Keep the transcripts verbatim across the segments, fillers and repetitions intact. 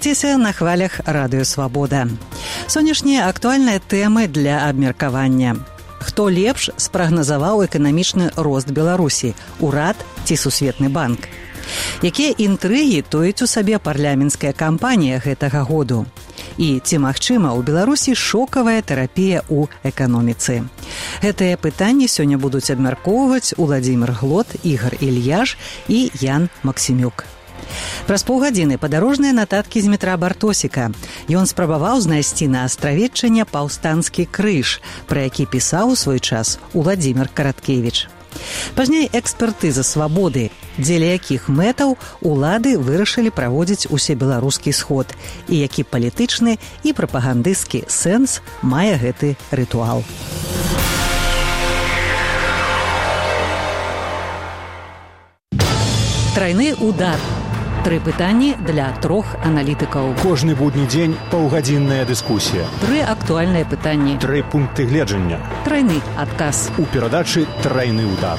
Рухайцеся на хвалях Радыё Свабода. Сённяшнія актуальныя тэмы для абмеркавання. Хто лепш спрагназаваў эканамічны рост Беларусі? Урад ці Сусветны банк? Якія інтрыгі тоіць у сабе парламенцкая кампанія гэтага году? І ці магчыма ў Беларусі шокавая тэрапія ў эканоміцы? Гэтыя пытанні сёння будуць абмяркоўваць Уладзімір Глот, Ігар Ільяш і Ян Максімюк. Праз паўгадзіны падарожныя нататкі з метра Бартосіка. Ён спрабаваў знайсці на астравеччане паўстанскі крыж, пра які пісаў у свой час Уладзімір Караткевіч. Пазней экспертыза свабоды, дзеля якіх мэтаў улады вырашылі праводзіць усебеларускі сход і які палітычны і прапагандысцкі сэнс мае гэты рытуал. Трайны удар. Тры пытанні для трох аналітыкаў. Кожны будні дзень паўгадзінная дыскусія. Тры актуальныя пытанні. Тры пункты гледжання. Трайны адказ. У перадачы «Трайны удар».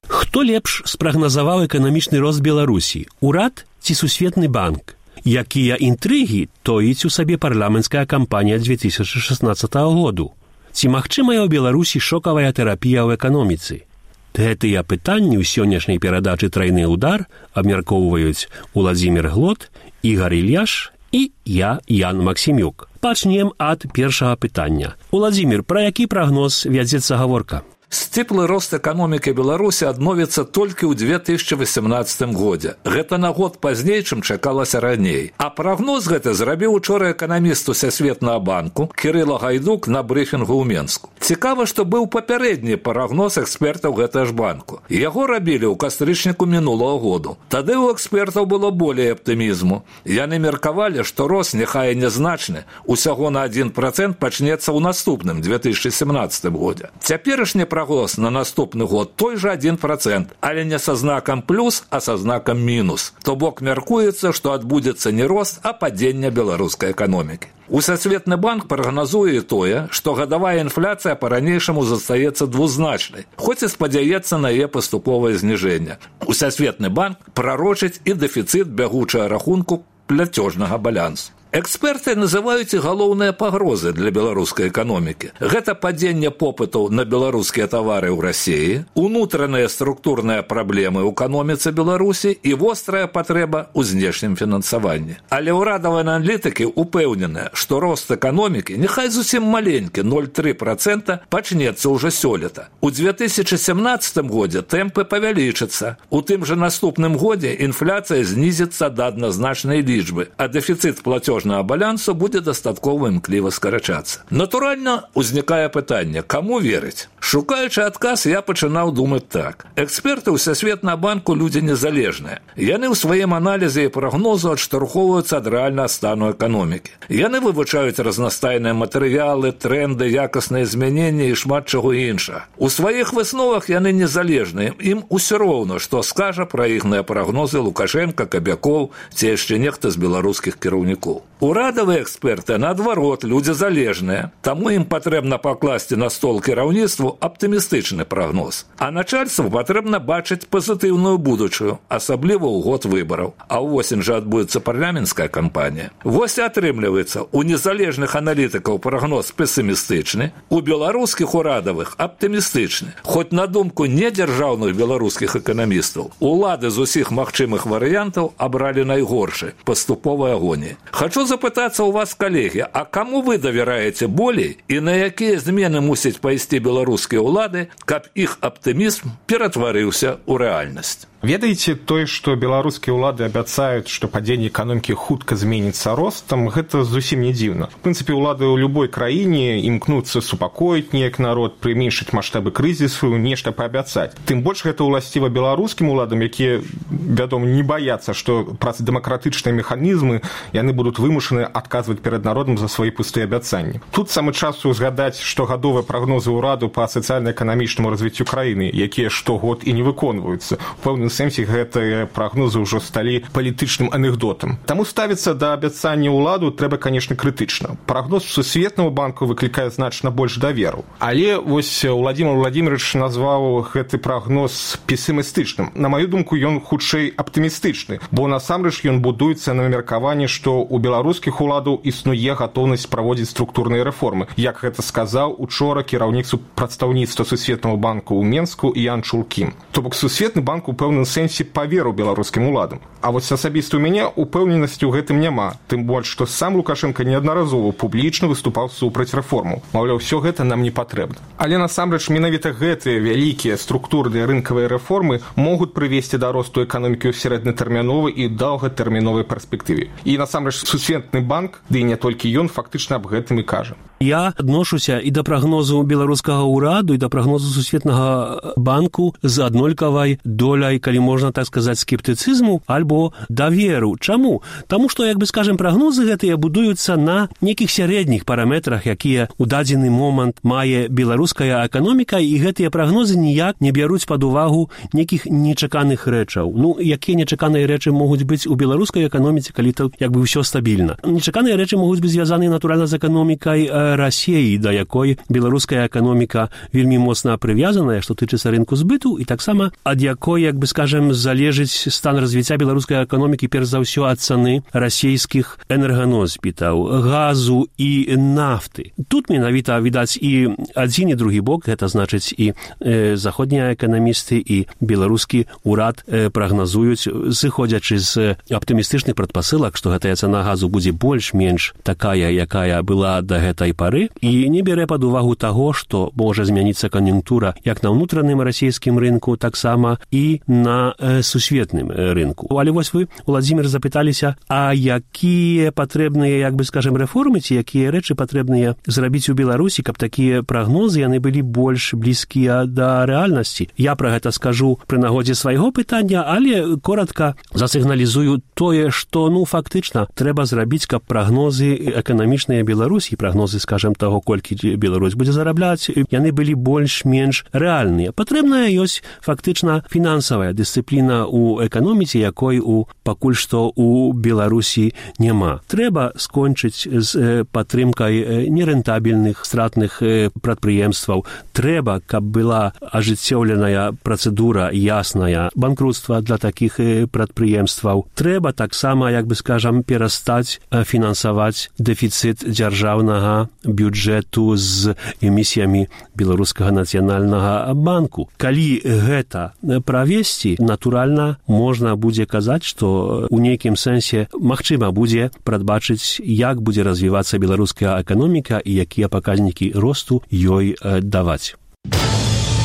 Хто лепш спрагназаваў эканамічны рост Беларусі? Урад ці Сусветны банк? Якія інтрыгі тоіць у сабе парламенцкая кампанія две тысячы шаснаццатага году? Ці магчымая ў Беларусі шокавая тэрапія ў эканоміцы? Гэтыя пытанні ў сённяшняй перадачы «Трайны удар» абмяркоўваюць Уладзімір Глот, Ігар Ільяш і я, Ян Максімюк. Пачнем ад першага пытання. Уладзімір, пра які прагноз вядзецца гаворка? Сціплы рост эканомікі Беларусі адновіцца толькі ў две тысячы васямнаццатым годзе. Гэта на год пазней, чым чакалася раней. А прагноз гэты зрабіў учора эканаміст Усесветнага банку Кірыла Гайдук на брыфінгу ў Менску. Цікава, што быў папярэдні прагноз экспертаў гэтага ж банку. Яго рабілі ў кастрычніку мінулага году. Тады ў экспертаў было болей аптымізму. Яны меркавалі, што рост, няхай нязначны, усяго на адзін працэнт пачнецца ў наступным две тысячы сямнаццатым годзе. Цяперашні прогноз на наступны год той же адзін працэнт, але не са знакам плюс, а са знакам мінус. То бок мяркуецца, што адбудзецца не рост, а падзенне беларускай эканомікі. Усесветны банк прагназуе тое, што гадавая інфляцыя па-ранейшаму застаецца двузначнай, хоць і спадзяецца на яе паступовае зніжэнне. Усесветны банк прарочыць і дэфіцыт бягучага рахунку пляцёжнага балансу. Эксперты называюць і галоўныя пагрозы для беларускай эканомікі. Гэта падзенне попыту на беларускія тавары ў Расіі, унутраныя структурныя праблемы ў эканоміцы Беларусі і вострая патрэба ў знешнім фінансаванні. Але ўрадавыя аналітыкі ўпэўненыя, што рост эканомікі, няхай зусім маленькі, нуль цалых тры десятых працэнта, пачнецца ўжо сёлета. У две тысячы сямнаццатым годзе тэмпы павялічацца. У тым жа наступным годзе інфляцыя знізіцца да адназначнай лічбы, а дэфіцыт плацёжнага балансу будзе дастаткова імкліва скарачацца. Натуральна, узнікае пытанне, каму верыць? Шукаючы адказ, я пачынаў думаць так. Эксперты Усесветнага банку людзі незалежныя. Яны ў сваім аналізе і прагнозу адштурхоўваюцца ад рэальнага стану эканомікі. Яны вывучаюць разнастайныя матэрыялы, тренды, якасныя змяненні і шмат чаго іншага. У сваіх высновах яны незалежныя. Ім усё роўна, што скажа пра іхныя прагнозы Лукашенка, Кабякоў ці яшчэ нехта з беларускіх кіраўнікоў. Урадавыя эксперты, наадварот, людзі залежныя, таму ім патрэбна пакласці на стол кіраўніцтву аптымістычны прагноз. А начальству патрэбна бачыць пазітыўную будучую, асабліва ў год выбараў. А ўвосень жа адбудзецца парламенцкая кампанія. Вось і атрымліваецца, у незалежных аналітыкаў прагноз песімістычны, у беларускіх урадавых аптымістычны. Хоць на думку недзяржаўных беларускіх эканамістаў, улады з усіх магчымых варыянтаў абралі найгоршы, паступовай агоніі. Хачу запытацца ў вас, калегі, а каму вы давяраеце болей і на якія змены мусяць пайсці беларускія ўлады, каб іх аптымізм ператварыўся ў рэальнасць? Ведаеце, тое, што беларускія ўлады абяцаюць, што падзенне эканомікі хутка зменіцца ростам, гэта зусім не дзіўна. В прынцыпе, улады ў любой краіне імкнуцца супакоіць неяк народ, прыменшыць маштабы крызісу, нешта паабяцаць. Тым больш гэта ўласціва беларускім уладам, якія, вядома, не баяцца, што праз дэмакратычныя механізмы яны будуць вымушаны адказваць перад народам за свае пустыя абяцанні. Тут самы час узгадаць штогадовыя прагнозы ўраду па сацыяльна-эканамічнаму развіццю краіны, якія штогод і не выконваюцца. У пэўным пэўным сэнсе гэтыя прагнозы ўжо сталі палітычным анекдотам. Таму ставіцца да абяцання ўладу трэба, канешне, крытычна. Прагноз Сусветнага банку выклікае значна больш даверу. Але вось Владимир Владимирович назваў гэты прагноз песімістычным. На маю думку, ён хутчэй аптымістычны, бо насамрэч ён будуецца на меркаванні, што ў беларускіх уладаў існуе гатоўнасць праводзіць структурныя рэформы, як гэта сказаў учора кіраўніцу прадстаўніцтва Сусветнага банку ў Менску Ян Чулкім. То бок Сусветны банк у пэўным сэнсе паверыў беларускім уладам. А вось асабіста ў мяне упэўненасці ў гэтым няма, тым больш, што сам Лукашенко неаднаразова публічна выступаў супраць рэформаў. Маўляў, усё гэта нам не патрэбна. Але насамрэч менавіта гэтыя вялікія структурныя рынкавыя рэформы могуць прывесці да росту эканомікі ў сярэднатэрміновай і доўгатэрміновай перспектыве. І насамрэч Сусветны банк, ды і не толькі ён, фактычна аб гэтым і кажа. Я адношуся і да прагнозу беларускага ўраду, і да прагнозу Сусветнага банку з аднолькавай доляй, калі можна так сказаць, скептыцызму альбо даверу. Чаму? Таму што, як бы скажем, прагнозы гэтыя будуюцца на нейкіх сярэдніх параметрах, якія ў дадзены момант мае беларуская эканоміка, і гэтыя прагнозы ніяк не бяруць пад увагу нейкіх нечаканых рэчаў. Ну, якія нечаканыя рэчы могуць быць у беларускай эканоміцы, калі то як бы ўсё стабільна. Нечаканыя рэчы могуць быць звязаны натуральна з эканомікай Расіі, да якой беларуская эканоміка вельмі моцна прывязаная, што тычыцца рынку збыту, і таксама ад якой, як бы скажем, залежыць стан развіцця беларускай эканомікі перш за ўсё ад цаны расійскіх энерганосбітаў, газу і нафты. Тут менавіта відаць і адзін і другі бок, гэта значыць і э, заходнія эканамісты і беларускі ўрад э, прагназуюць, зыходзячы з аптымістычных прадпасылак, што гэтая цана газу будзе больш-менш такая, якая была да гэтай пары, і не бярэ пад увагу таго, што можа змяніцца кан'юнктура як на ўнутраным расійскім рынку, таксама і на э, сусветным рынку. Але вось вы, Владимир, запыталіся, а якія патрэбныя, як бы скажем, рэформы, ці якія рэчы патрэбныя зрабіць у Беларусі, каб такія прагнозы яны былі больш блізкія да рэальнасці. Я пра гэта скажу пры нагодзе свайго пытання, але коратка засігналізую тое, што, ну, фактычна, трэба зрабіць, каб прагнозы эканамічныя Беларусі, прагнозы, скажем, таго, колькі Беларусь будзе зарабляць, яны былі больш-менш рэальныя. Патрэбная ёсць фактычна фінансавая дысцыпліна ў эканоміцы, якой у пакуль што у Беларусі няма. Трэба скончыць з падтрымкай нерэнтабельных, стратных прадпрыемстваў. Трэба, каб была ажыццёўленая працэдура ясная банкрутства для такіх прадпрыемстваў. Трэба таксама, як бы скажам, перастаць фінансаваць дэфіцыт дзяржаўнага бюджэту з эмісіямі Беларускага нацыянальнага банку. Калі гэта правесці, натуральна, можна будзе казаць, што ў нейкім сэнсе магчыма будзе прадбачыць, як будзе развівацца беларуская эканоміка і якія паказнікі росту ёй даваць.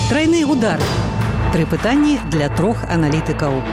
Трайны удар. Тры пытанні для трох аналітыкаў.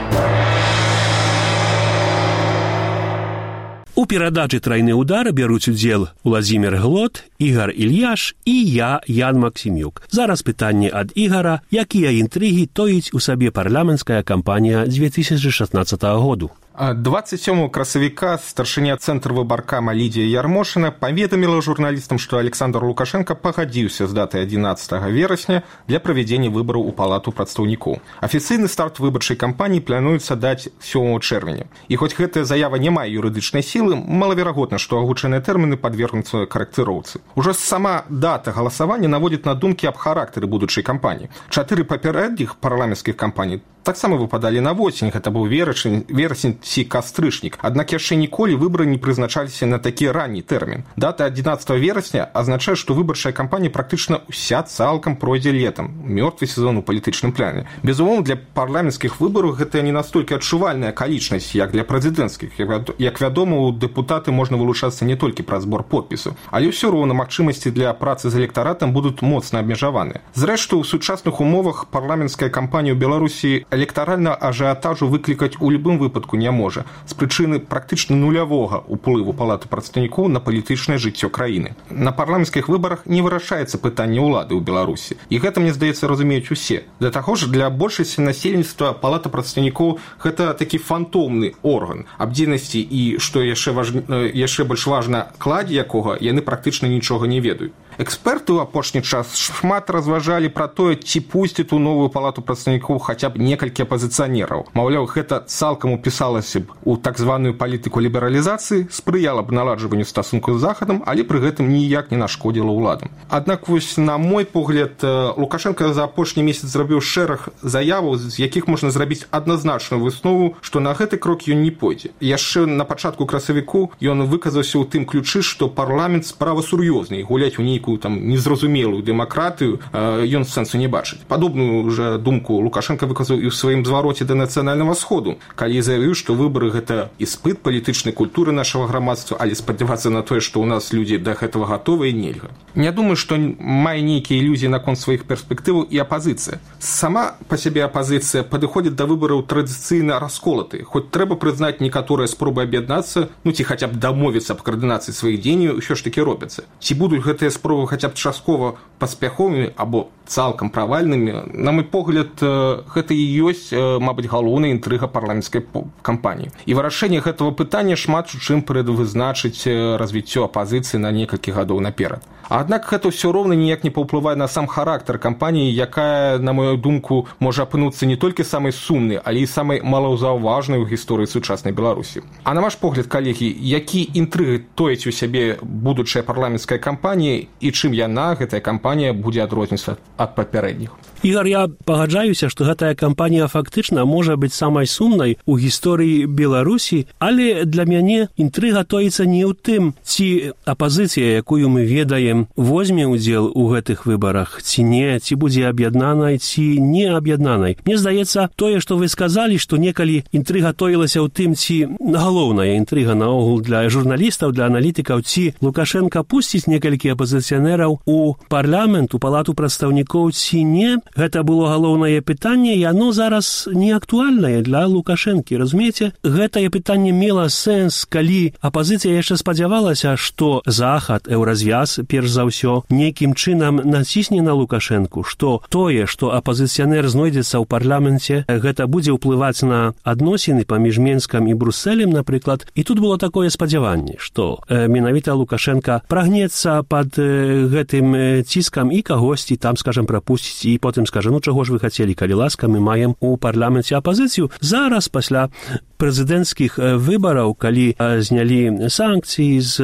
У перадачы «Трайны удар» бяруць удзел Владимир Глот, Ігар Ільяш і я, Ян Максімюк. Зараз пытанне ад Ігара, якія інтрыгі тоіць у сабе парламенцкая кампанія две тысячи шестнадцатого году. двадцать сёмага красавіка старшыня цэнтр выбаркама Лідія Ярмошына паведаміла журналістам, што Александр Лукашенко пагадзіўся з датай адзінаццатага верасня для правядзення выбараў у палату прадстаўнікоў. Афіцыйны старт выбарчай кампаніі плануецца даць сёмага чэрвеня. І хоць гэтая заява не мае юрыдычнай сілы, малаверагодна, што агучаныя тэрміны падвергнуцца карэкціроўцы. Ужо сама дата галасавання наводзіць на думкі аб характары будучай кампаніі. Чатыры папярэдніх парламенцкіх кампаній таксама выпадалі на восень, гэта быў верасень, верасень ці кастрычнік. Аднак яшчэ ніколі выбары не прызначаліся на такі ранні тэрмін. Дата адзінаццатага верасня азначае, што выбарчая кампанія практычна ўся цалкам пройдзе летам, мёртвы сезон у палітычным пляне. Безумоўна, для парламенцкіх выбараў гэта не настолькі адчувальная акалічнасць, як для прэзідэнцкіх. Як вядома, у дэпутаты можна вылучацца не толькі праз збор подпісаў, але ўсё роўна магчымасці для працы з электаратам будуць моцна абмежаваныя. Зрэшты, у сучасных умовах парламенцкая кампанія ў Беларусі электаральна ажыятажу выклікаць у любым выпадку не можа, з прычыны практычна нулявога ўплыву палаты прадстаўнікоў на палітычнае жыццё краіны. На парламенцкіх выбарах не вырашаецца пытанне ўлады ў Беларусі. І гэта, мне здаецца, разумеюць усе. Для таго ж, для большасці насельніцтва палата прадстаўнікоў гэта такі фантомны орган абдзейнасці і, што яшчэ, важ... яшчэ больш важна, кладзе якога яны практычна нічога не ведаюць. Эксперты ў апошні час шмат разважалі пра тое, ці пусцяць у новую палату прадстаўнікоў хаця б некалькі апазіцыянераў. Маўляў, гэта цалкам упісалася б у так званую палітыку лібералізацыі, спрыяла б наладжванню стасункаў з Захадам, але пры гэтым ніяк не нашкодзіла ўладам. Аднак вось на мой погляд, Лукашенко за апошні месяц зрабіў шэраг заяваў, з якіх можна зрабіць адназначную выснову, што на гэты крок ён не пойдзе. Яшчэ на пачатку красавіку ён выказаўся ў тым ключы, што парламент справа сур'ёзная, гуляць у нейкую там незразумелую дэмакратыю ён сэнсу не бачыць. Падобную уже думку Лукашенко выказаў і ў сваім звароце да нацыянальнага сходу, калі заявіў, што выбары гэта іспыт палітычнай культуры нашага грамадства, але спадзявацца на тое, што ў нас людзі да гэтага гатовыя, нельга. Не думаю, што мае нейкія ілюзіі наконт сваіх перспектываў і апазіцыя. Сама па сябе апазіцыя падыходзіць да выбараў традыцыйна расколаты, хоць трэба прызнаць, некаторыя спробы аб'яднацца, ну ці хаця б дамовіцца аб каардынацыі сваіх дзеянняў ўсё ж такі робяцца. Ці будуць гэтыя спробы хаця б часткова паспяховымі або цалкам правальнымі, на мой погляд, гэта і ёсць, мабыць, галоўная інтрыга парламенцкай кампаніі. І вырашэнне гэтага пытання шмат у чым прадвызначыць развіццё апазіцыі на некалькі гадоў наперад. Аднак гэта ўсё роўна ніяк не паўплывае на сам характар кампаніі, якая, на мою думку, можа апынуцца не толькі самай сумнай, але і самай малаўзаўважнай у гісторыі сучаснай Беларусі. А на ваш погляд, калегі, які інтрыгі тоіць у сябе будучая парламенцкая кампанія і чым яна, гэтая кампанія, будзе адрознівацца ад папярэдніх? Ігор, я пагаджаюся, што гэтая кампанія фактычна можа быць самай сумнай у гісторыі Беларусі, але для мяне інтрыга тоіцца не ў тым, ці апазіцыя, якую мы ведаем, возьме ўдзел у гэтых выбарах, ці не, ці будзе аб'яднанай, ці не аб'яднанай. Мне здаецца, тое, што вы сказалі, што некалі інтрыга тоілася ў тым, ці галоўная інтрыга наогул для журналістаў, для аналітыкаў, ці Лукашенко пусціць некалькі апазіцыянераў у парламент, у палату прадстаўнікоў, ці не. Гэта было галоўнае пытанне, і оно зараз не актуальнае для Лукашэнкі. Разумееце, гэтае пытанне мела сэнс, калі апазіцыя яшчэ спадзявалася, што Захад, еўразвяз, перш за ўсё, нейкім чынам націсне на Лукашэнку, што тое, што апазіцыянер знойдзецца ў парламенце, гэта будзе ўплываць на адносіны паміж Менскам і Брусэлем, напрыклад. І тут было такое спадзяванне, што э, менавіта Лукашенка прагнецца пад э, гэтым ціскам і кагосьці там, скажам, прапусціць, і потым скажа, ну чаго ж вы хацелі, калі ласка, мы маем у парламенце апазіцыю. Зараз, пасля прэзідэнцкіх выбараў, калі знялі санкцыі з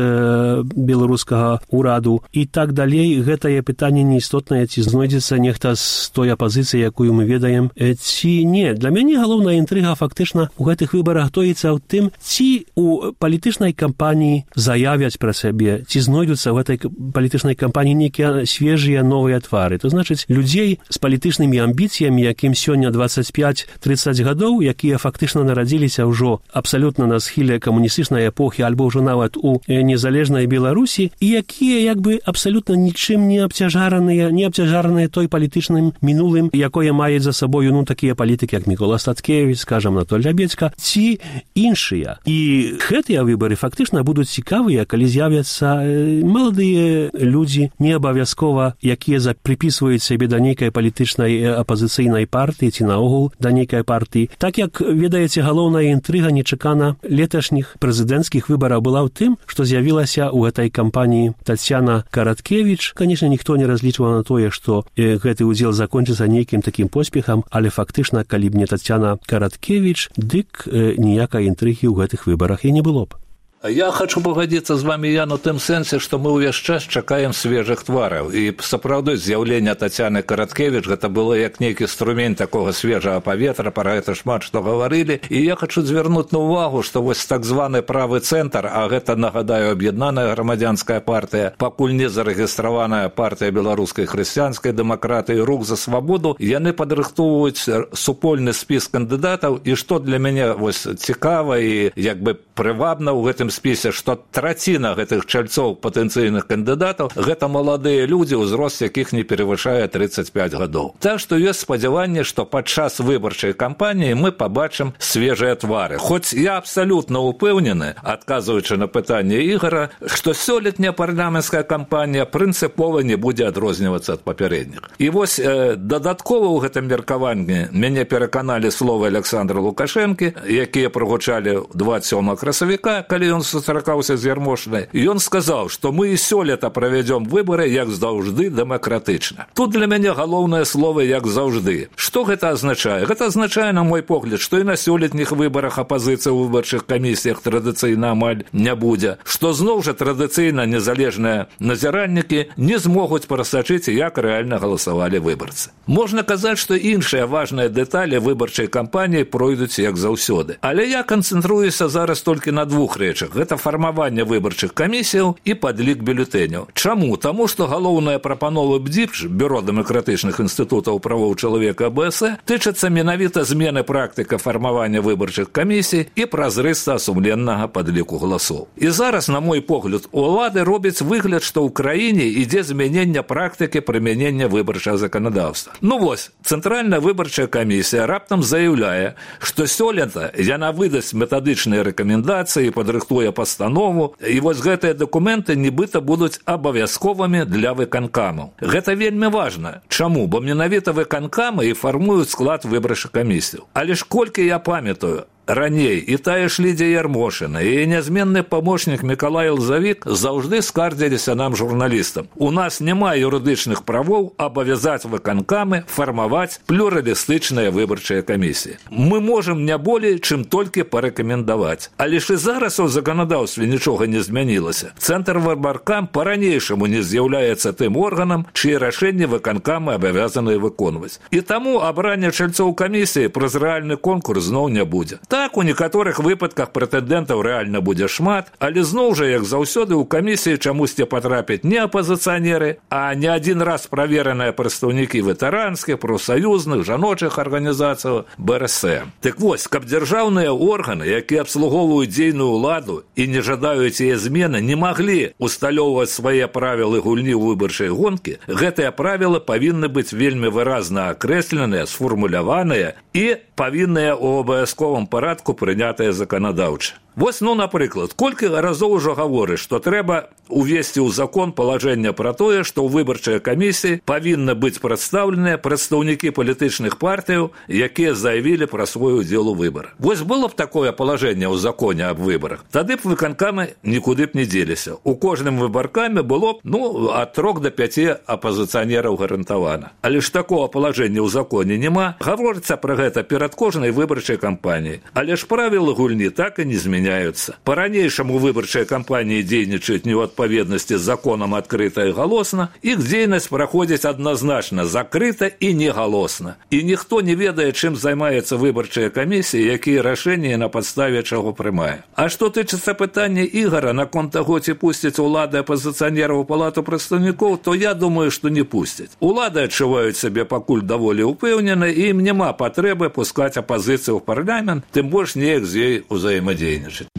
беларускага ўраду і так далей, гэтае пытанне неістотнае, ці знойдзецца нехта з той апазіцыі, якую мы ведаем, ці не. Для мяне галоўная інтрыга фактычна у гэтых выбарах тоіцца ў тым, ці у палітычнай кампаніі заявяць пра сябе, ці знойдуцца ў гэтай палітычнай кампаніі нейкія свежыя новыя твары. То значыць, людзей з палітычнымі амбіцыямі, якім сёння дваццаць пяць трыццаць гадоў, якія фактычна нарадзіліся ўжо абсалютна на схіле камуністычнай эпохі альбо ўжо нават у незалежнай Беларусі, і якія як бы абсалютна нічым не абцяжараныя, не абцяжараныя той палітычным мінулым, якое мае за сабою, ну, такія палітыкі, як Мікола Статкевіч, скажам, Анатоль Лябедзька, ці іншыя. І гэтыя выбары фактычна будуць цікавыя, калі з'явяцца маладыя людзі, не абавязкова, якія прыпісваюць сябе да нейкай палітычнай апазіцыйнай партыі ці наогул да нейкай партыі. Так як, ведаеце, галоўная інтрыга нечакана леташніх прэзідэнцкіх выбараў была ў тым, што з'явілася ў гэтай кампаніі Тацяна Караткевіч. Канешне, ніхто не разлічваў на тое, што гэты ўдзел закончыцца нейкім такім поспехам, але фактычна, калі б не Тацяна Караткевіч, дык ніякай інтрыгі ў гэтых выбарах і не было б. Я хочу пагадзіцца з вами, Ян, у тым сэнсе, што мы ўвесь час чакаем свежых твараў. І сапраўды з'яўленне Тацяны Караткевіч гэта было як нейкі струмень такога свежага паветра, пра гэта шмат што гаварылі. І я хочу звярнуць на ўвагу, што вось так званы правы цэнтр, а гэта, нагадаю, аб'яднаная грамадзянская партыя, пакуль не зарэгістраваная партыя беларускай хрысціянскай дэмакратыі «Рух за свабоду», яны падрыхтоўваюць супольны спіс кандыдатаў. І што для мяне вось цікава і як бы прывабна ў гэтым спісе, што траціна гэтых чальцоў патэнцыйных кандыдатаў гэта маладыя людзі, узрост якіх не перавышае трыццаць пяць гадоў. Так што ёсць спадзяванне, што падчас выбарчай кампаніі мы пабачым свежыя твары. Хоць я абсалютна ўпэўнены, адказваючы на пытанне Ігора, што сёлетняя парламенцкая кампанія прынцыпова не будзе адрознівацца ад папярэдніх. І вось э, дадаткова ў гэтым меркаванні мяне пераканалі словы Александра Лукашэнкі, якія прагучалі дваццаць сёмага красавіка, калі ён ён сустракаўся з Ярмошынай, і ён сказаў, што мы і сёлета правядзём выбары, як заўжды, дэмакратычна. Тут для мяне галоўнае слово «як заўжды». Што гэта азначае? Гэта азначае, на мой погляд, што і на сёлетніх выбарах апазіцыя ў выбарчых камісіях традыцыйна амаль не будзе, што зноў жа традыцыйна незалежныя назіраннікі не змогуць прасачыць, як рэальна галасавалі выбарцы. Можна казаць, што іншыя важныя дэталі выбарчай кампаніі пройдуць як заўсёды. Але я канцэнтруюся зараз толькі на двух рэчах. Гэта фармаванне выбарчых камісіяў і падлік бюлетэняў. Чаму? Таму, што галоўная прапанова БДІПЖ, Бюро дэмакратычных інстытутаў правоў чалавека АБС, тычацца менавіта змены практыка фармавання выбарчых камісій і празрыста сумленнага падліку галасоў. І зараз, на мой погляд, улады робяць выгляд, што ў краіне ідзе змянення практыкі прымянення выбарчага заканадаўства. Ну вось, Цэнтральная выбарчая камісія раптам заяўляе, што сёлета яна выдасць метадычныя рэкамендацыі, падрыхтуе пастанову, і вось гэтыя дакументы нібыта будуць абавязковымі для выканкамаў. Гэта вельмі важна. Чаму? Бо менавіта выканкамы і фармуюць склад выбарчых камісій. Але ж колькі я памятаю, раней і тая ж Лідія Ярмошына, і нязменны памочнік Мікалай Лзавік заўжды скардзіліся нам, журналістам. У нас няма юрыдычных правоў абавязаць выканкамы фармаваць плюралістычныя выбарчыя камісіі. Мы можам не болей, чым толькі парэкамендаваць. Але ж і зараз у заканадаўстве нічога не змянілася. Цэнтр выбаркам па-ранейшаму не з'яўляецца тым органам, чые рашэнні выканкамы абавязаныя выконваць. І таму абранне чальцоў камісіі праз рэальны конкурс зноў не будзе. Так, у некаторых выпадках прэтэндэнтаў рэальна будзе шмат, але зноў жа, як заўсёды, у камісіі чамусьці патрапяць не апазіцыянеры, а не адзін раз правераныя прадстаўнікі ветэранскіх, прафсаюзных, жаночых арганізацый бэ эр эс эм. Так вось, каб дзяржаўныя органы, якія абслугоўваюць дзейную ўладу і не жадаюць яе змены, не маглі усталёўваць свае правілы гульні ў выбарчай гонкі, гэтыя правілы павінны быць вельмі выразна акрэсленыя, сфармуляваныя і павінныя ў абавязковым парадку прынятыя заканадаўча. Вось, ну, напрыклад, колькі разоў ужо гаворыць, што трэба увесці ў закон палажэнне пра тое, што ў выбарчай камісіі павінны быць прадстаўленыя прадстаўнікі палітычных партыяў, якія заявілі пра свой удзел у выбарах. Вось было б такое палажэнне ў законе аб выбарах. Тады б выканкамы нікуды б не дзеліся. У кожным выбаркаме было б, ну, ад трох да пяці апазіцыянераў гарантавана. Але ж такого палажэння ў законе няма. Гаворыцца пра гэта перад кожнай выбарчай кампаніяй. Але ж правілы гульні так і не зменяюцца. По-ранейшаму выбарчыя кампаніі дзейнічаюць не ў адпаведнасці з законам адкрыта і галосна, іх дзейнасць праходзіць адназначна закрыта і негалосна. І ніхто не ведае, чым займаецца выбарчая камісія, якія рашэнні на падставе чаго прымае. А што тычыцца пытання Ігара наконт таго, ці пусцяць улады апазіцыянераў у палату прадстаўнікоў, то я думаю, што не пусцяць. Улады адчуваюць сябе пакуль даволі ўпэўнена, і ім няма патрэбы пускаць апазіцыю ў парламент, тым больш неяк з ёй узаемадзейнічаць.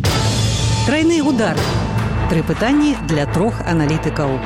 Тройны удар. Тры пытанні для трох аналітыкаў.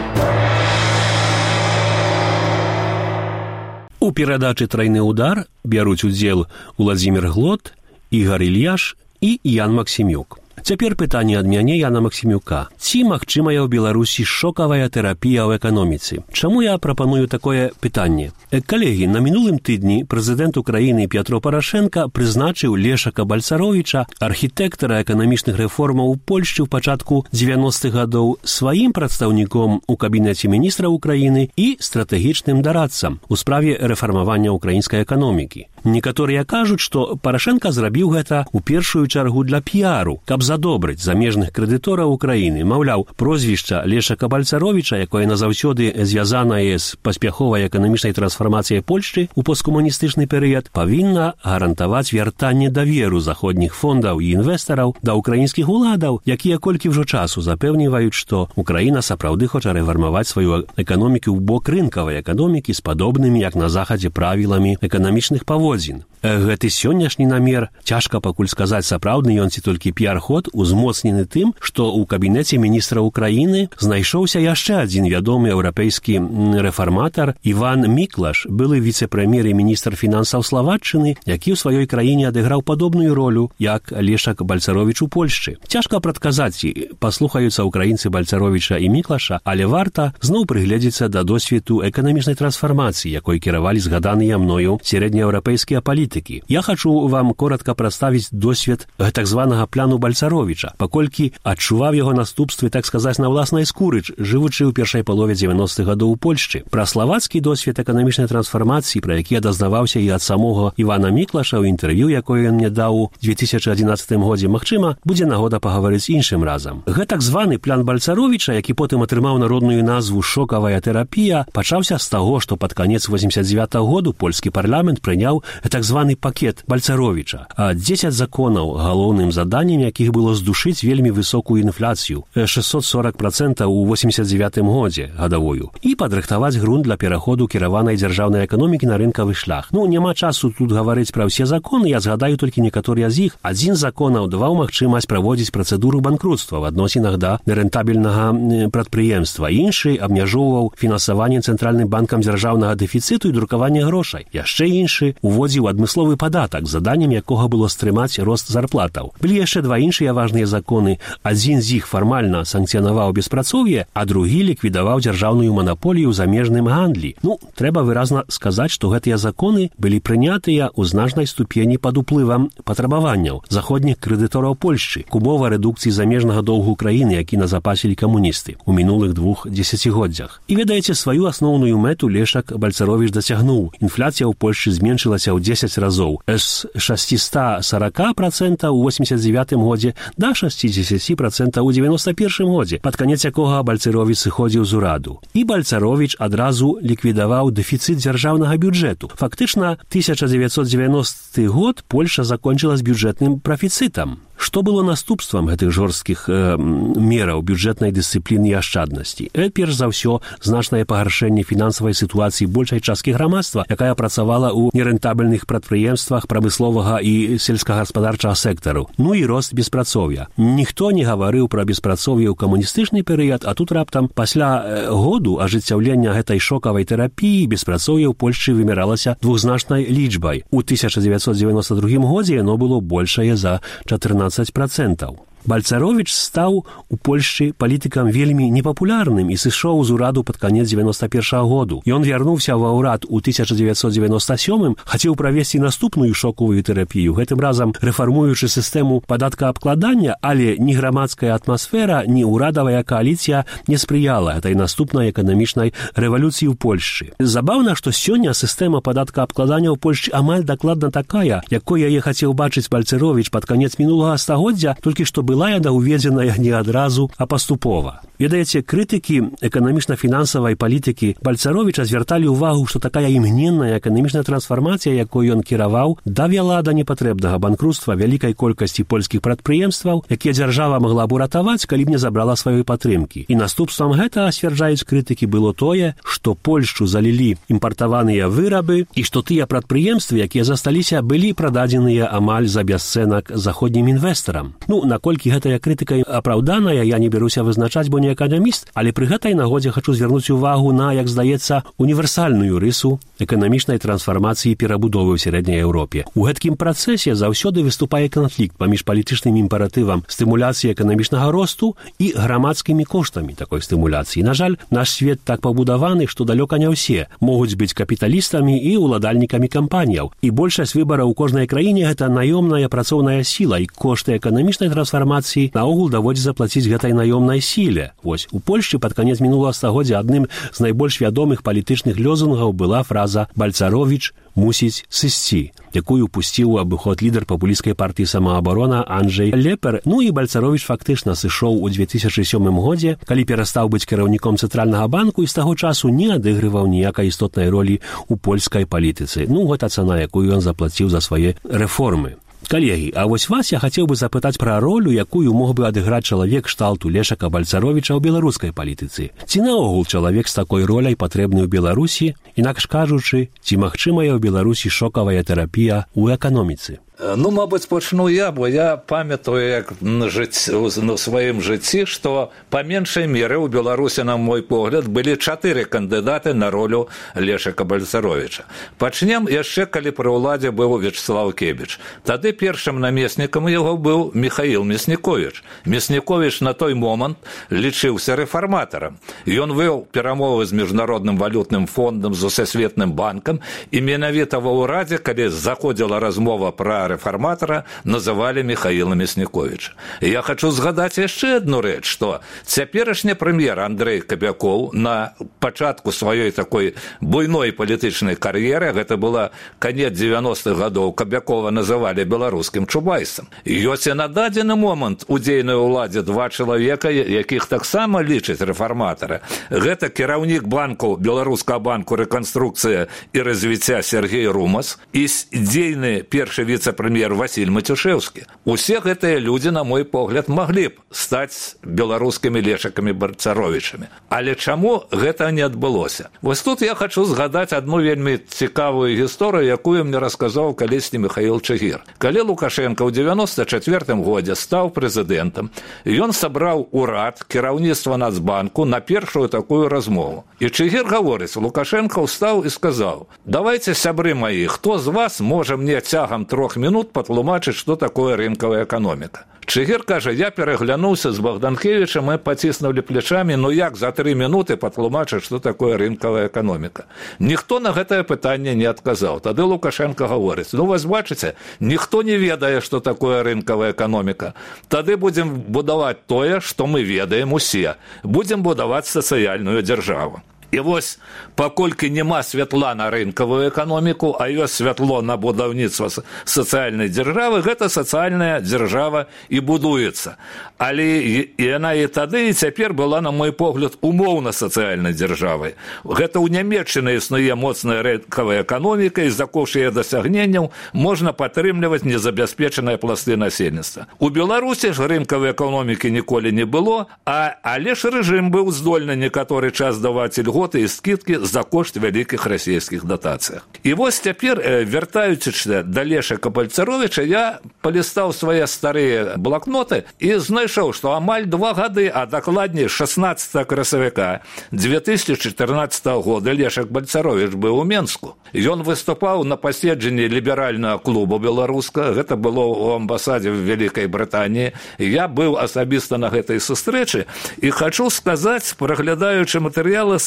У перадачы «Тройны удар» бяруць удзел Уладзімір Глот, Ігар Ільяш і Ян Максімюк. Цяпер пытанне ад мяне, Яна Максімюка. Ці магчымая ў Беларусі шокавая тэрапія ў эканоміцы? Чаму я прапаную такое пытанне? Калегі, на мінулым тыдні прэзідэнт Украіны Пятро Парашенка прызначыў Лешака Бальцаровіча, архітэктара эканамічных рэформаў у Польшчы ў пачатку дзевяностых гадоў, сваім прадстаўніком у кабінеце міністра Украіны і стратэгічным дарадцам у справе рэфармавання украінскай эканомікі. Некаторыя кажуць, што Парашенка зрабіў гэта ў першую чаргу для піару, каб задобрыць замежных крэдытораў Украіны. Маўляў, прозвішча Лешака Бальцаровіча, якое назаўсёды звязанае з паспяховай эканамічнай трансфармацыяй Польшчы ў посткамуністычны перыяд, павінна гарантаваць вяртанне даверу заходніх фондаў і інвестараў да ўкраінскіх уладаў, якія колькі ўжо часу запэўніваюць, што Украіна сапраўды хоча рэфармаваць сваю эканоміку ў бок рынкавай эканомікі з падобнымі, як на захадзе, правіламі эканамічных паводзін. Гэты сённяшні намер, цяжка пакуль сказаць, сапраўдны ён ці толькі піар-ход, узмоцнены тым, што ў кабінеце міністра Украіны знайшоўся яшчэ адзін вядомы еўрапейскі рэфарматар Іван Міклаш, былы віцэ-прэм'ер і міністр фінансаў Славаччыны, які ў сваёй краіне адыграў падобную ролю, як Лешак Бальцаровіч у Польшчы. Цяжка прадказаць, ці паслухаюцца украінцы Бальцаровіча і Міклаша, але варта зноў прыгледзецца да досведу эканамічнай трансфармацыі, якой кіравалі згаданыя мною сярэднееўрапейскія палітыкі. палітыкі. Я хачу вам коротка прадставіць досвед так званага пляну Бальцаровіча, паколькі адчуваў яго наступствы, так сказаць, на ўласнай скуры, жывучы ў першай палове дзевяностых гадоў у Польшчы. Пра славацкі досвед эканамічнай трансфармацыі, пра які я дазнаваўся і ад самога Івана Міклаша ў інтэрв'ю, якое ён мне даў у две тысячы адзінаццатым годзе, магчыма, будзе нагода пагаварыць іншым разам. Гэта так званы плян Бальцаровіча, які потым атрымаў народную назву «Шокавая тэрапія», пачаўся з таго, што пад канец восемьдесят девятого году польскі парламент прыняў так званы пакет Бальцаровіча. дзесяць законаў, галоўным заданнем якіх было здушыць вельмі высокую інфляцыю шестьсот сорок процентов у восемьдесят девятым годзе гадавую і падрыхтаваць грунт для пераходу кіраванай дзяржаўнай эканомікі на рынкавы шлях. Ну, няма часу тут гаварыць пра ўсе законы, я згадаю толькі некаторыя з іх. Адзін з законаў даваў магчымасць праводзіць працэдуру банкрутства в адносінах да нерэнтабельнага прадпрыемства. Іншы абмяжоўваў фінансаванне цэнтральным банкам дзяржаўнага дэфіцыту і друкавання грошай. Яшчэ іншы уводзіў адмысловы падатак, заданнем якога было стрымаць рост зарплатаў. Былі яшчэ два іншыя важныя законы. Адзін з іх фармальна санкцыянаваў беспрацоўе, а другі ліквідаваў дзяржаўную манаполію ў замежным гандлі. Ну, трэба выразна сказаць, што гэтыя законы былі прынятыя ў значнай ступені пад уплывам патрабаванняў заходніх крэдытораў Польшчы к умова рэдукцыі замежнага доўгу краіны, які назапасілі камуністы ў минулых двух дзесяцігоддзях. І ведаеце, сваю асноўную мэту Лешак Бальцаровіч дасягнуў. Інфляцыя ў Польшчы зменшылася ў дзесяць разоў з шестьсот сорок процентов у восемьдесят девятым годзе да шестьдесят процентов у девяносто первым годзе, пад канец якога Бальцаровіч сыходзіў з ураду. І Бальцаровіч адразу ліквідаваў дэфіцыт дзяржаўнага бюджэту. Фактычна, тысяча девятьсот девяностый год Польша закончыла з бюджэтным прафіцытам. Што было наступствам гэтых жорсткіх э, мераў бюджэтнай дысцыпліны і ашчаднасці? Э, перш за ўсё, значнае пагаршэнне фінансавай сітуацыі большай часткі грамадства, якая працавала ў нерэнтабельных прадпрыемствах прамысловага і сельскагаспадарчага сектару. Ну і рост беспрацоўя. Ніхто не гаварыў пра беспрацоўе ў камуністычны перыяд, а тут раптам пасля э, году ажыццяўлення гэтай шокавай тэрапіі беспрацоўе ў Польшчы вымяралася двухзначнай лічбай. У тысяча девятьсот девяносто другім годзе яно было большае за чатырнаццаць процентов. Бальцаровіч стаў у Польшчы палітыкам вельмі непапулярным і сышоў з ураду пад канец девяносто первого году. Ён вярнуўся ва ўрад у тысяча девятьсот девяносто сёмым, хацеў правесці наступную шоковую тэрапію, гэтым разам рэфармуючы сістэму падаткаабкладання, але ні грамадская атмасфера, ні ўрадавая кааліцыя не спрыяла гэтай наступнай эканамічнай рэвалюцыі ў Польшчы. Забаўна, што сёння сістэма падаткаабкладання ў Польшчы амаль дакладна такая, якой яе хацеў бачыць Бальцаровіч пад канец мінулага стагоддзя, толькі што была яна уведзеная не адразу, а паступова. Ведаеце, крытыкі эканамічна-фінансавай палітыкі Бальцаровіча звярталі ўвагу, што такая імгненная эканамічная трансфармацыя, якой ён кіраваў, давяла да непатрэбнага банкрутства вялікай колькасці польскіх прадпрыемстваў, якія дзяржава магла б уратаваць, калі б не забрала сваёй падтрымкі. І наступствам гэтага, сцвярджаюць крытыкі, было тое, што Польшчу залілі імпартаваныя вырабы і што тыя прадпрыемствы, якія засталіся, былі прададзеныя амаль за бясцэнак заходнім інвестарам. Ну, наколькі гэтая крытыка апраўданая, я не бяруся вызначаць, бо не эканаміст, але пры гэтай нагодзе хачу звярнуць увагу на, як здаецца, універсальную рысу эканамічнай трансфармацыі і перабудовы ў сярэдняй Еўропе. У гэткім працэсе заўсёды выступае канфлікт паміж палітычным імператывам стымуляцыі эканамічнага росту і грамадскімі коштамі такой стымуляцыі. На жаль, наш свет так пабудаваны, што далёка не ўсе могуць быць капіталістамі і ўладальнікамі кампаніяў. І большасць выбараў у кожнай краіне гэта наёмная працоўная сіла, і кошты эканамічнай трансфармацыі наогул даводзіцца заплаціць гэтай наёмнай сіле. Вось, у Польшчы пад канец мінулага стагоддзя адным з найбольш вядомых палітычных лёзунгаў была фраза «Бальцаровіч мусіць сысці», якую пусціў у абыход лідар папулісцкай партыі самаабарона Анджэй Лепер. Ну і Бальцаровіч фактычна сышоў у две тысячи сёмым годзе, калі перастаў быць кіраўніком цэнтральнага банку і з таго часу не адыгрываў ніякай істотнай ролі ў польскай палітыцы. Ну, гэта цана, якую ён заплаціў за свае рэформы. Калегі, а вось вас я хацеў бы запытаць пра ролю, якую мог бы адыграць чалавек кшталту Лешака Бальцаровіча ў беларускай палітыцы. Ці наогул чалавек з такой роляй патрэбны ў Беларусі, інакш кажучы, ці магчымая ў Беларусі шокавая тэрапія ў эканоміцы? Ну, мабыць, пачну я, бо я памятаю, як на, жыць, на сваім жыцці, што па меншай меры ў Беларусі, на мой погляд, былі чатыры кандыдаты на ролю Лешака Бальцаровіча. Пачнем яшчэ, калі пры ўладзе быў Вячеслав Кебіч. Тады першым намеснікам яго быў Михаил Мясніковіч. Мясніковіч на той момант лічыўся рэфарматарам. Ён вёў перамовы з Міжнародным валютным фондам, з Усесветным банкам, і менавіта ва ўрадзе, калі заходзіла размова пра рэфарматара, называлі Михаила Мясніковіча. Я хочу згадаць яшчэ адну рэч, што цяперашні прэм'ер Андрэй Кабякоў на пачатку сваёй такой буйной палітычнай кар'еры, гэта была канец дзевяностых гадоў, Кабякова называлі беларускім Чубайсам. Ёсць і на дадзены момант у дзейнай уладзе два чалавека, якіх таксама лічаць рэфарматары. Гэта кіраўнік банку, Беларускага банку рэканструкцыя і развіцця Сергей Румас і дзейны першы віцэ прэм'ер Васіль Матюшэўскі. Усе гэтыя людзі, на мой погляд, маглі б стаць беларускімі Лешакамі Бальцаровічамі. Але чаму гэта не адбылося? Вось тут я хочу згадаць адну вельмі цікавую гісторыю, якую мне расказаў калісьці Михаил Чыгір. Калі Лукашенко ў девяносто четвёртым годзе стаў прэзідэнтам, ён сабраў урад, кіраўніцтва Нацбанку на першую такую размову. І Чыгір гаворыць, Лукашенко ўстаў і сказаў: «Давайте, сябры маі, хто з вас можа мне цягам трох минут патлумачыць, што такое рынкавая эканоміка». Чыгір кажа: «Я пераглянуўся з Богданкевічам, мы паціснулі плечамі, ну як за тры минуты патлумачыць, што такое рынкавая эканоміка». Ніхто на гэтае пытанне не адказаў. Тады Лукашенко гаворыць: «Ну, вас бачыце, ніхто не ведае, што такое рынкавая эканоміка. Тады будзем будаваць тое, што мы ведаем усе. Будзем будаваць сацыяльную дзяржаву». І вось, паколькі няма святла на рынкавую эканоміку, а ёсць святло на будаўніцтва сацыяльнай дзяржавы, гэта сацыяльная дзяржава і будуецца. Але яна і тады, і цяпер была, на мой погляд, умоўна сацыяльнай дзяржавай. Гэта ў Нямецчыны існуе моцная рынкавая эканоміка, і за кошт яе дасягненняў можна падтрымліваць незабяспечаныя пласты насельніцтва. У Беларусі ж рынкавай эканомікі ніколі не было, а, але ж рэжым быў здольны некаторы час даваць ільготы і скидкі за кошт вялікіх расійскіх датацыях. І вось цяпер, вяртаючыся да Лешака Бальцаровіча, я палістаў свае старыя блакноты і знайшоў, што амаль два гады, а дакладней шаснаццатага красавіка две тысячи чатырнаццатага года Лешак Бальцаровіч быў у Менску. Ён выступаў на паседжанні ліберальнага клуба беларускага, гэта было ў амбасадзе в Вялікай Брытаніі. Я быў асабіста на гэтай сустрэчы і хачу сказаць, праглядаючы матэрыялы,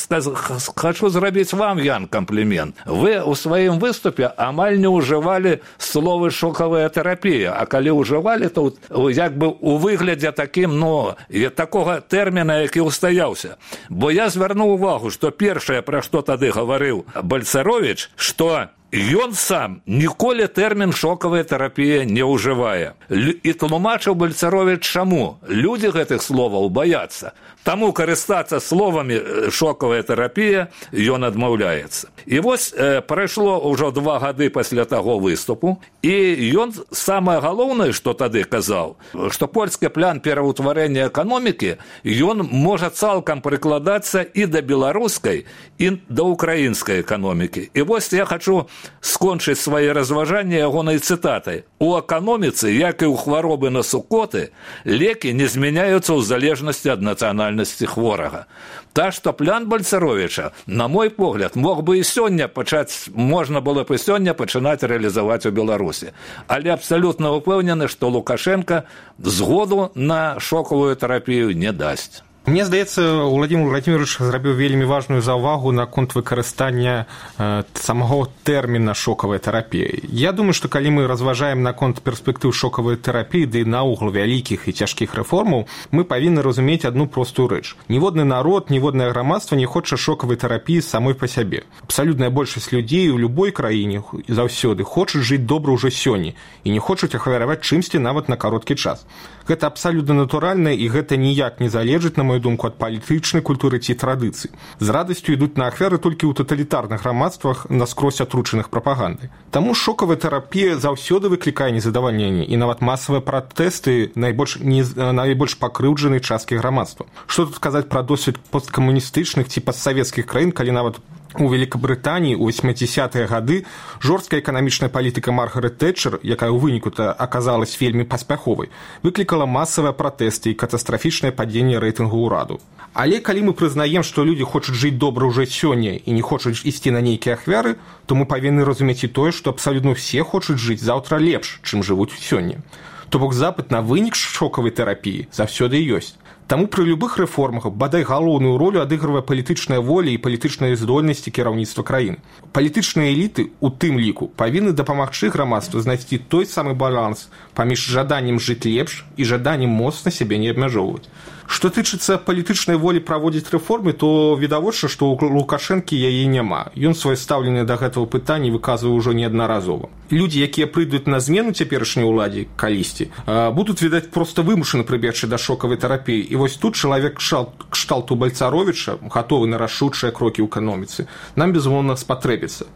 хочу зрабіць вам, Ян, комплімент. Вы у сваім выступе амаль не ўжывалі словы шокавая тэрапія, а калі ўжывалі, то як бы у выглядзе такім, ну, такога тэрміна, які ўстаяўся. Бо я звярнуў увагу, што першае, пра што тады гаварыў Бальцаровіч, што ён сам ніколі тэрмін шокавая тэрапія не ўжывае. І тлумачыў Бальцаровіч чаму. Людзі гэтых словаў баяцца. Таму карыстацца словамі шокавая тэрапія ён адмаўляецца. І вось э, прайшло ўжо два гады пасля таго выступу, і ён самае галоўнае, што тады казаў, што польскі план пераўтварэння эканомікі, ён можа цалкам прыкладацца і да беларускай, і да украінскай эканомікі. І вось я хачу скончыць свае разважанні ягонай цытатай. У эканоміцы, як і ў хваробы на сукоты, лекі не змяняюцца ў залежнасці ад нацыянальнасці хворага. Та, што план Бальцаровіча, на мой погляд, мог бы і сёння пачаць, можна было б і сёння пачынаць рэалізаваць у Беларусі. Але абсалютна ўпэўнены, што Лукашенко згоду на шокавую тэрапію не дасць. Мне здаецца, Владимир Владимирович зрабіў вельмі важную заўвагу наконт выкарыстання э, самого тэрміна шокавая тэрапія. Я думаю, што калі мы разважаем наконт перспектыў шокавай тэрапіі, ды наогул вялікіх і цяжкіх рэформаў, мы павінны разумець адну простую рэч. Ніводны народ, ніводнае грамадства не хоча шокавай тэрапіі самой па сябе. Абсалютная большасць людзей у любой краіне заўсёды хочуць жыць добра ўжо сёння і не хочуць ахвяраваць чымсьці нават на кароткі час. Гэта абсалютна натуральна, і гэта ніяк не залежыць, на мою думку, ад палітычнай культуры ці традыцый. З радасцю ідуць на ахвяры толькі ў таталітарных грамадствах наскрозь атручаных прапагандай. Таму шокавая тэрапія заўсёды выклікае незадавальненне, і нават масавыя пратэсты найбольш, не, найбольш пакрыўджанай часткі грамадства. Што тут казаць пра досвед посткамуністычных ці постсавецкіх краін, калі нават У Великабрытаніі ў восьмідзесятыя гады жорсткая эканамічная палітыка Маргарет Тэтчер, якая ў выніку-то аказалась вельмі паспяховай, выклікала масавыя пратэсты і катастрафічнае падзенне рэйтынгу ўраду. Але калі мы прызнаем, што людзі хочуць жыць добра ўжо сёння і не хочуць ісці на нейкія ахвяры, то мы павінны разумець і тое, што абсалютна ўсе хочуць жыць заўтра лепш, чым жывуць сёння. То бок запыт на вынік шокавай тэрапіі заўсёды ёсць. Таму пры любых рэформах бадай галоўную ролю адыгрывае палітычная воля і палітычныя здольнасці кіраўніцтва краін. Палітычныя эліты, у тым ліку, павінны дапамагчы грамадству знайсці той самы баланс паміж жаданнем жыць лепш і жаданнем моцна сябе не абмяжоўваць. Што тычыцца палітычнай волі праводзіць рэформы, то відавочна, што ў Лукашэнкі яе няма. Ён сваё стаўленне да гэтага пытання выказвае ўжо неаднаразова. Людзі, якія прыйдуць на змену цяперашняй уладзе калісьці, будуць, відаць, проста вымушаны прыбегчы да шокавай тэрапіі. І вось тут чалавек кшталту Бальцаровіча, гатовы на рашучыя крокі ў эканоміцы, нам, безумоўна, спатрэбіцца.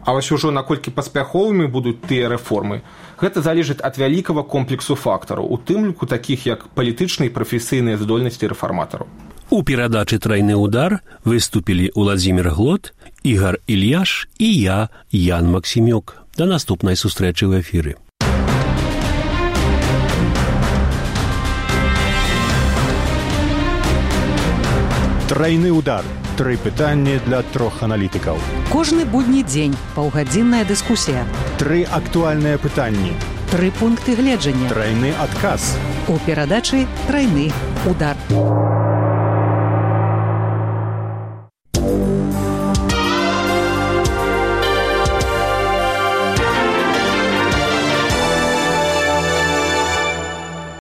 А вось ужо наколькі паспяховымі будуць тыя рэформы, гэта залежыць ад вялікага комплексу фактараў, у тым ліку такіх як палітычныя і прафесійныя здольнасці рэфарматараў. У перадачы «Тройны удар» выступілі Уладзімір Глот, Ігар Ільяш і я, Ян Максімюк. Да наступнай сустрэчы ў эфіры. Тройны удар. Тры пытанні для трох аналітыкаў. Кожны будні дзень паўгадзінная дыскусія. Тры актуальныя пытанні. Тры пункты гледжання. Тройны адказ. У перадачы «Тройны удар».